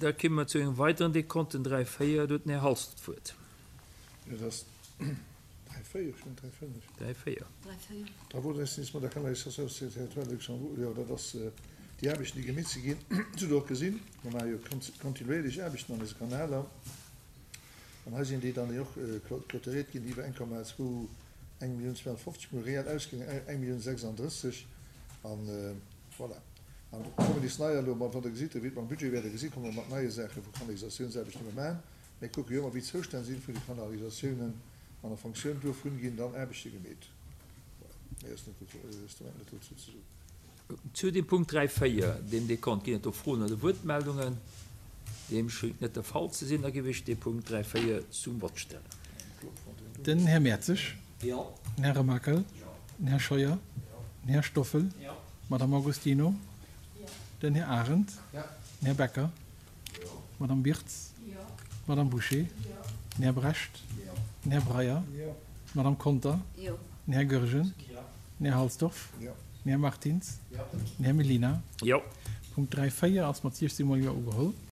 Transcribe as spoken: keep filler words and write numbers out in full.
Da komme mer zu engem weideren Dekont, den dräi véier. Do huet den Här Halsdorf d'Wuert. Dat ass dräi véier, ech hunn dräi fënnef. Dräi véier. Travaux d'investissement de la canalisation sur le territoire de Luxembourg, jo, dat ass déi Aarbechten, déi gemeet si ginn. Dat hutt Der och gesinn, mer maache jo kontinuéierlech Aarbechten an eise Kanaler. An hei sinn déi dann och clôturéiert ginn iwwer eng Komma zwou, eng Millioun zweehonnertfofzeg, mir hu reell ausginn eng Millioun sechsandrësseg. An voilà. An do kommen nees neier elo mat, wann Der gesitt, wéi et mam Budget wäert Der gesinn, komme mer mat neie Saache vu Kanalisationsaarbechten, déi mer maachen. Mir kucke jo ëmmer, wéi d'Zoustänn sinn vun de Kanalisatiounen an a Fonctioun dovun ginn dann Aarbechte gemeet. Voilà. Méi ass net dozou, net dozou ze soen. Zu dem Punkt dräi véier, deem Dekont, ginn et do Froen oder Wuertmeldungen? Deem schéngt net de Fall ze sinn. Da géif ech dee Punkt dräi véier zum Vott stellen. Den Här Mertzig. Den Här Remakel. Den Här Scheuer. Den Här Stoffel. D'Madame Augustino. Den Här Arendt. Den Här Becker. D'Madame Birtz. D'Madame Bouché. Den Här Brecht. Den Här Breyer. D'Madame Conter. Den Här Goergen. Den Här Halsdorf. Den Här Martins. Den Här Mellina. Jo. Punkt dräi véier ass mat siechzehn mol Jo ugeholl.